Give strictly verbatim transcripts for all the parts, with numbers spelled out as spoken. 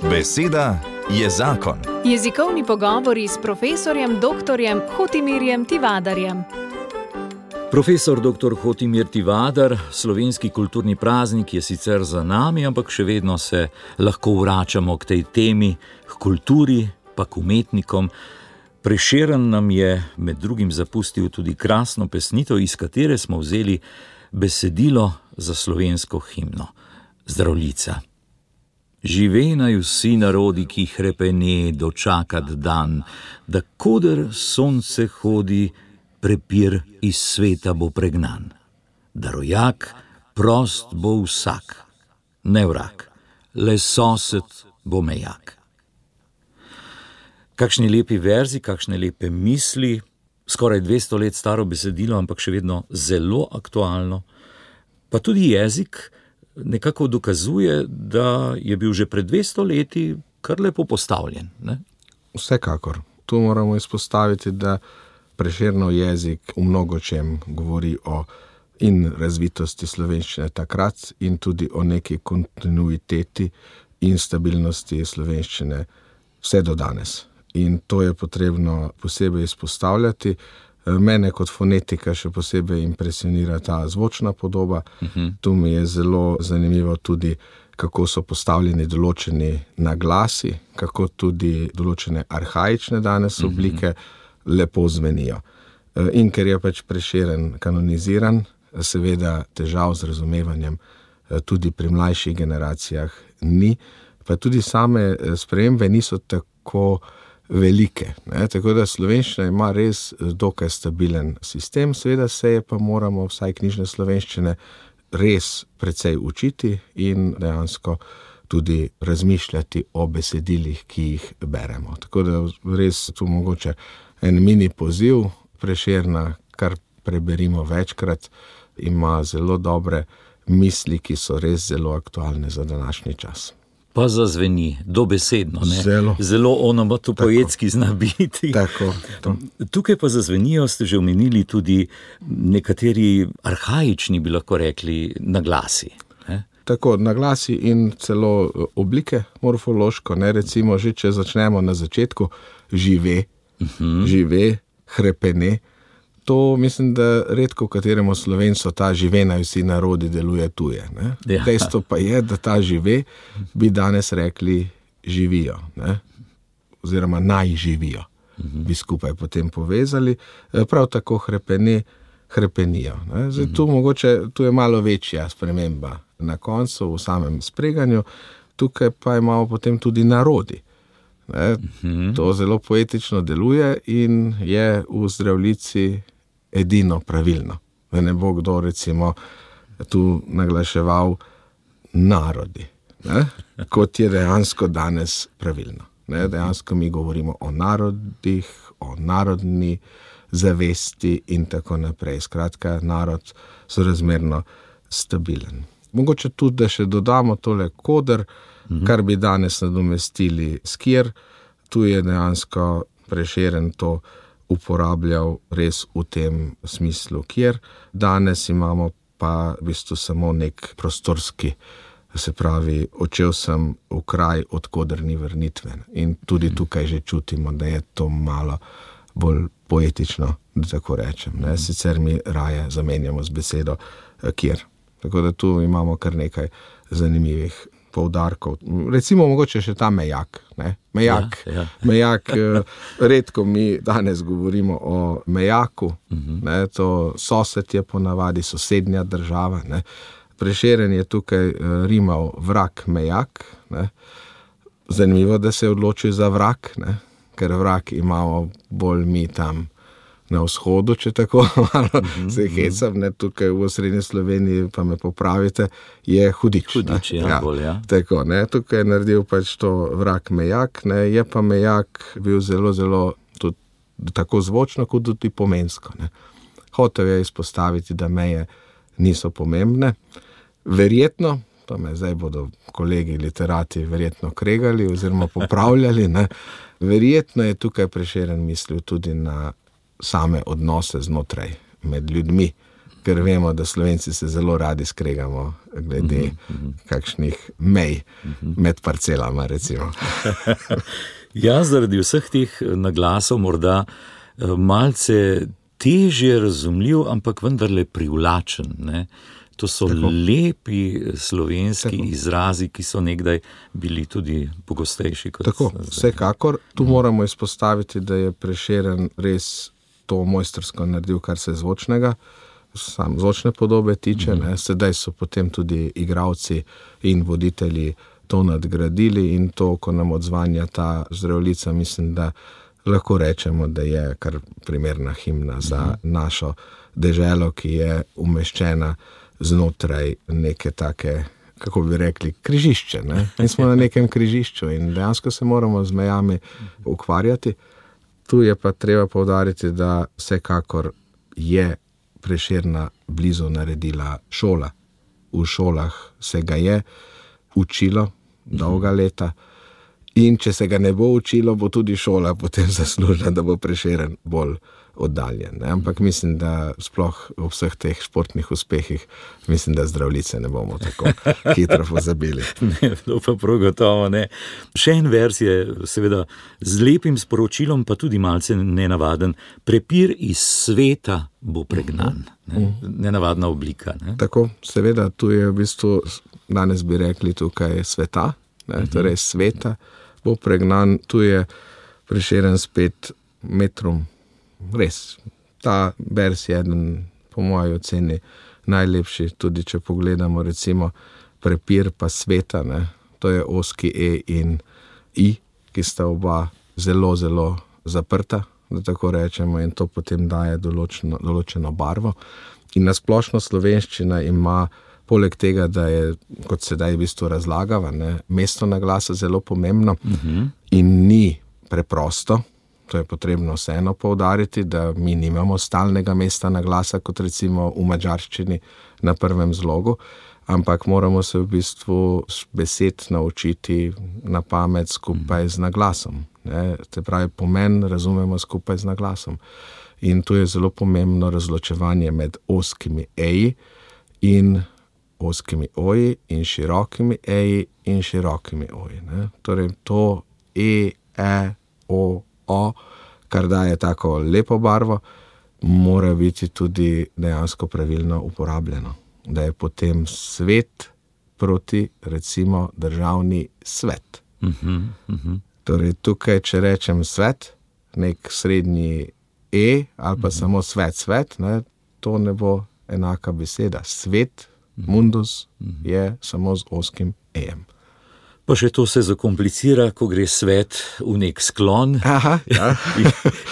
Beseda je zakon. Jezikovni pogovori s profesorjem doktorjem Hotimirjem Tivadarjem. Profesor doktor Hotimir Tivadar, slovenski kulturni praznik je sicer za nami, ampak še vedno se lahko vračamo k tej temi, k kulturi, pa k umetnikom. Prešeren nam je med drugim zapustil tudi krasno pesnitev, iz katere smo vzeli besedilo za slovensko himno. Zdravljica. Živej naj vsi narodi, ki hrepene dočakat dan, da koder sonce hodi, prepir iz sveta bo pregnan. Da rojak prost bo vsak, ne vrag, le sosed bo mejak. Kakšni lepi verzi, kakšne lepe misli, skoraj dvesto let staro besedilo, ampak še vedno zelo aktualno. Pa tudi jezik nekako dokazuje, da je bil že pred dvesto leti kar lepo postavljen, ne? Vsekakor. Tu moramo izpostaviti, da Prešernov jezik v mnogočem govori o in razvitosti slovenščine takrat in tudi o neki kontinuiteti in stabilnosti slovenščine vse do danes. In to je potrebno posebej izpostavljati. Mene kot fonetika še posebej impresionira ta zvočna podoba. Uh-huh. Tu mi je zelo zanimivo tudi, kako so postavljeni določeni naglasi, kako tudi določene arhaične danes oblike uh-huh. lepo zvenijo. In ker je pač Prešeren kanoniziran, seveda težav z razumevanjem tudi pri mlajših generacijah ni, pa tudi same spremembe niso tako velike, ne? Tako da slovenščina ima res dokaj stabilen sistem, seveda se je pa moramo vsaj knjižne slovenščine res precej učiti in dejansko tudi razmišljati o besedilih, ki jih beremo. Tako da res tu mogoče en mini poziv Prešerna, kar preberimo večkrat, ima zelo dobre misli, ki so res zelo aktualne za današnji čas. Pa zazveni, dobesedno, ne? Zelo. Zelo onomatopoetski zna biti. Tako. To. Tukaj pa zazvenijo, ste že omenili tudi nekateri arhaični, bi lahko rekli, naglasi. Ne? Tako, naglasi in celo oblike morfološko, ne? Recimo že, če začnemo na začetku, žive, uh-huh. žive, hrepene. To mislim, da redko kateremu Slovencu ta žive naj vsi narodi deluje tuje. Ne? Ja. Dejstvo pa je, da ta žive bi danes rekli živijo, ne? Oziroma naj živijo, uh-huh. bi skupaj potem povezali. Prav tako hrepene, hrepenijo. Ne? Zdaj, tu, mogoče, tu je malo večja sprememba na koncu, v samem spreganju, tukaj pa imamo potem tudi narodi. Ne? Uh-huh. To zelo poetično deluje in je v Zdravljici edino pravilno. Da ne bo kdo recimo tu naglaševal narodi, ne? Kot je dejansko danes pravilno. Ne? Dejansko mi govorimo o narodih, o narodni zavesti in tako naprej. Skratka, narod sorazmerno stabilen. Mogoče tudi, da še dodamo tole koder, mhm. kar bi danes nadomestili skjer. Tu je dejansko Prešeren to uporabljal res v tem smislu, kjer danes imamo pa v bistvu samo nek prostorski, se pravi, odšel sem v kraj, od koder ni vrnitve. In tudi tukaj že čutimo, da je to malo bolj poetično, da tako rečem. Ne? Sicer mi raje zamenjamo z besedo kjer. Tako da tu imamo kar nekaj zanimivih poudarkov. Recimo mogoče še ta mejak. Ne? Mejak, ja, ja. mejak redko mi danes govorimo o mejaku. Uh-huh. Ne? To sosed je ponavadi sosednja država. Ne? Prešeren je tukaj rimal vrag mejak. Ne? Zanimivo, da se je odločil za vrag, ne? Ker vrag imamo bolj mi tam na vzhodu, če tako malo mm-hmm. se hecam, ne, tukaj v osrednji Sloveniji, pa me popravite, je hudič. Hudič, ja, ja. Bolj, ja. Tako, ne, tukaj je naredil pač to vrag mejak, ne, je pa mejak bil zelo, zelo tudi tako zvočno, kot tudi pomensko, ne. Hotel je izpostaviti, da meje niso pomembne. Verjetno, pa me zdaj bodo kolegi literati verjetno kregali oziroma popravljali, ne, verjetno je tukaj Prešeren mislil tudi na same odnose znotraj med ljudmi. ker vemo, da Slovenci se zelo radi skregamo glede uh-huh. kakšnih mej uh-huh. med parcelama, recimo. Ja, zaradi vseh teh naglasov morda malce težje razumljiv, ampak vendarle privlačen, ne? To so tako lepi slovenski tako izrazi, ki so nekdaj bili tudi pogostejši kot tako, zdaj. Vsekakor, tu mm. moramo izpostaviti, da je Prešeren res to mojstrsko naredil, kar se zvočnega, sam zvočne podobe tiče, mm. ne? Sedaj so potem tudi igralci in voditelji to nadgradili in to, ko nam odzvanja ta Zdravljica, mislim, da lahko rečemo, da je kar primerna himna za mm. našo deželo, ki je umeščena znotraj neke take, kako bi rekli, križišče. Ne? In smo na nekem križišču in dejansko se moramo z mejami ukvarjati. Tu je pa treba poudariti, da vsekakor je Prešerna blizu naredila šola. V šolah se ga je učilo dolga leta in če se ga ne bo učilo, bo tudi šola potem zaslužila, da bo Prešeren bolj oddaljen. Ne? Ampak mislim, da sploh v vseh teh športnih uspehih, mislim, da Zdravljice ne bomo tako hitro pozabili. Ne, to pa prav gotovo ne. Še en vers je seveda z lepim sporočilom, pa tudi malce nenavaden. Prepir iz sveta bo pregnan. Ne? Nenavadna oblika. Ne? Tako, seveda, tu je v bistvu, danes bi rekli tukaj sveta, ne? Torej sveta bo pregnan, tu je Prešeren spet metrom. Res, ta vers je eden, po moji oceni, najlepši, tudi če pogledamo recimo prepir pa sveta, ne? To je ozki E in I, ki sta oba zelo, zelo zaprta, da tako rečemo, in to potem daje določeno, določeno barvo. In nasplošno slovenščina ima, poleg tega, da je, kot sedaj v bistvu razlagava, ne, mesto naglasa zelo pomembno uh-huh. in ni preprosto. To je potrebno vseeno poudariti, da mi nimamo stalnega mesta naglasa, kot recimo v madžarščini na prvem zlogu, ampak moramo se v bistvu besed naučiti na pamet skupaj z naglasom. Ne? Te pravi, pomen razumemo skupaj z naglasom. In tu je zelo pomembno razločevanje med ozkimi eji in ozkimi oji in širokimi eji in širokimi oji. Ne? Torej to E, E, O, O, kar daje tako lepo barvo, mora biti tudi dejansko pravilno uporabljeno. Da je potem svet proti, recimo, državni svet. Uh-huh, uh-huh. Torej tukaj, če rečem svet, nek srednji E ali pa uh-huh. samo svet, svet, ne, to ne bo enaka beseda. Svet, uh-huh. mundus, uh-huh. je samo z ozkim E-jem. Pa še to se zakomplicira, ko gre svet v nek sklon. Aha, ja. in,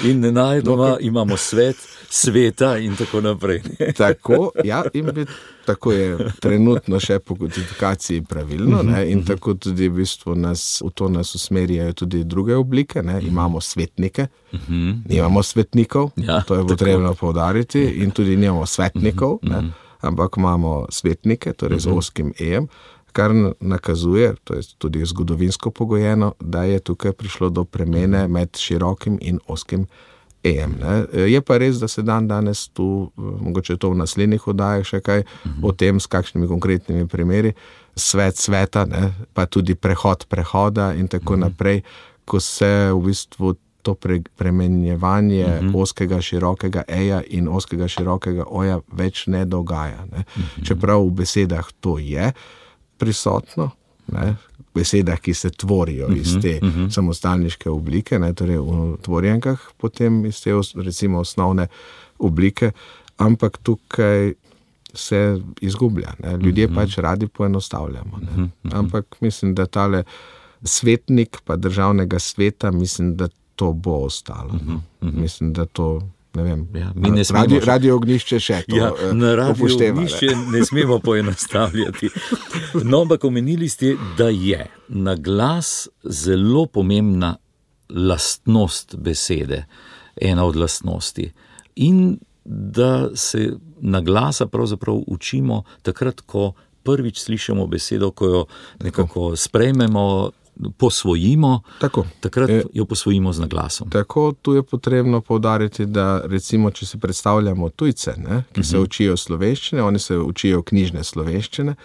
in nenajdoma no, imamo svet, sveta in tako naprej. Tako, ja, in bi, tako je trenutno še po kodifikaciji pravilno, ne, in tako tudi v bistvu nas, v to nas usmerjajo tudi druge oblike, ne, imamo svetnike, nimamo svetnikov, ja, to je potrebno poudariti, in tudi nimamo svetnikov, ne, ampak imamo svetnike, torej z ozkim E-jem, kar nakazuje, to je tudi zgodovinsko pogojeno, da je tukaj prišlo do premene med širokim in ozkim E-jem. Ne. Je pa res, da se dan danes tu, mogoče to v naslednjih oddajah še kaj uh-huh. o tem, s kakšnimi konkretnimi primeri, svet sveta, ne, pa tudi prehod prehoda in tako uh-huh. naprej, ko se v bistvu to pre, premenjevanje uh-huh. ozkega širokega E-ja in ozkega širokega O-ja več ne dogaja. Ne. Uh-huh. Čeprav v besedah to je prisotno, ne, v besedah, ki se tvorijo uh-huh, iz te uh-huh. samostalniške oblike, ne, torej v tvorjenkah, potem iz te recimo osnovne oblike, ampak tukaj se izgublja. Ne. Ljudje uh-huh. pač radi poenostavljamo. Ne. Uh-huh. Ampak mislim, da tale svetnik pa državnega sveta, mislim, da to bo ostalo. Uh-huh. Uh-huh. Mislim, da to ne vem, ja, mi ne smemo radio, radio ognjišče še to ja, na radio upošteva. Ognjišče ne smemo poenostavljati. No, ampak omenili ste, da je naglas zelo pomembna lastnost besede, ena od lastnosti. In da se naglasa pravzaprav učimo takrat, ko prvič slišimo besedo, ko jo nekako sprejmemo, posvojimo, Tako. takrat E, jo posvojimo z naglasom. Tako, tu je potrebno poudariti, da recimo, če si predstavljamo tujce, ne, ki se učijo slovenščine, oni se učijo knjižne slovenščine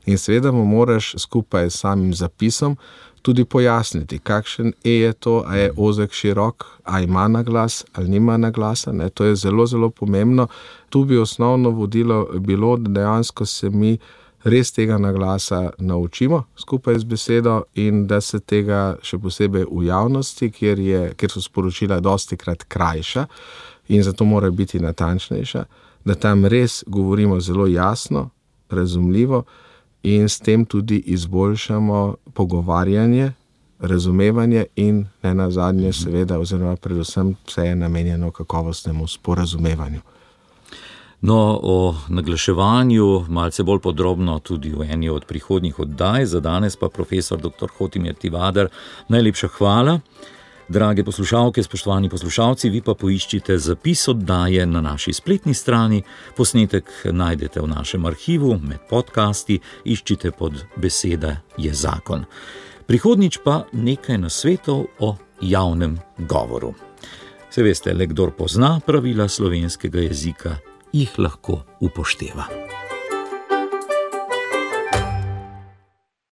in seveda mu moraš skupaj s samim zapisom tudi pojasniti, kakšen E je to, a je ozek, širok, a ima naglas ali nima naglasa. Ne. To je zelo, zelo pomembno. Tu bi osnovno vodilo bilo, da dejansko se mi res tega naglasa naučimo skupaj z besedo in da se tega še posebej v javnosti, kjer, je, kjer so sporočila dostikrat krajša in zato mora biti natančnejša, da tam res govorimo zelo jasno, razumljivo in s tem tudi izboljšamo pogovarjanje, razumevanje in ne nazadnje seveda oziroma predvsem vse je namenjeno kakovostnemu sporazumevanju. No, o naglaševanju malce bolj podrobno tudi v eni od prihodnjih oddaj, za danes pa profesor doktor Hotimir Tivadar, najlepša hvala. Drage poslušalke, spoštovani poslušalci, vi pa poiščite zapis oddaje na naši spletni strani, posnetek najdete v našem arhivu, med podcasti, iščite pod Beseda je zakon. Prihodnjič pa nekaj nasvetov o javnem govoru. Se veste, le kdor pozna pravila slovenskega jezika, jih lahko upošteva.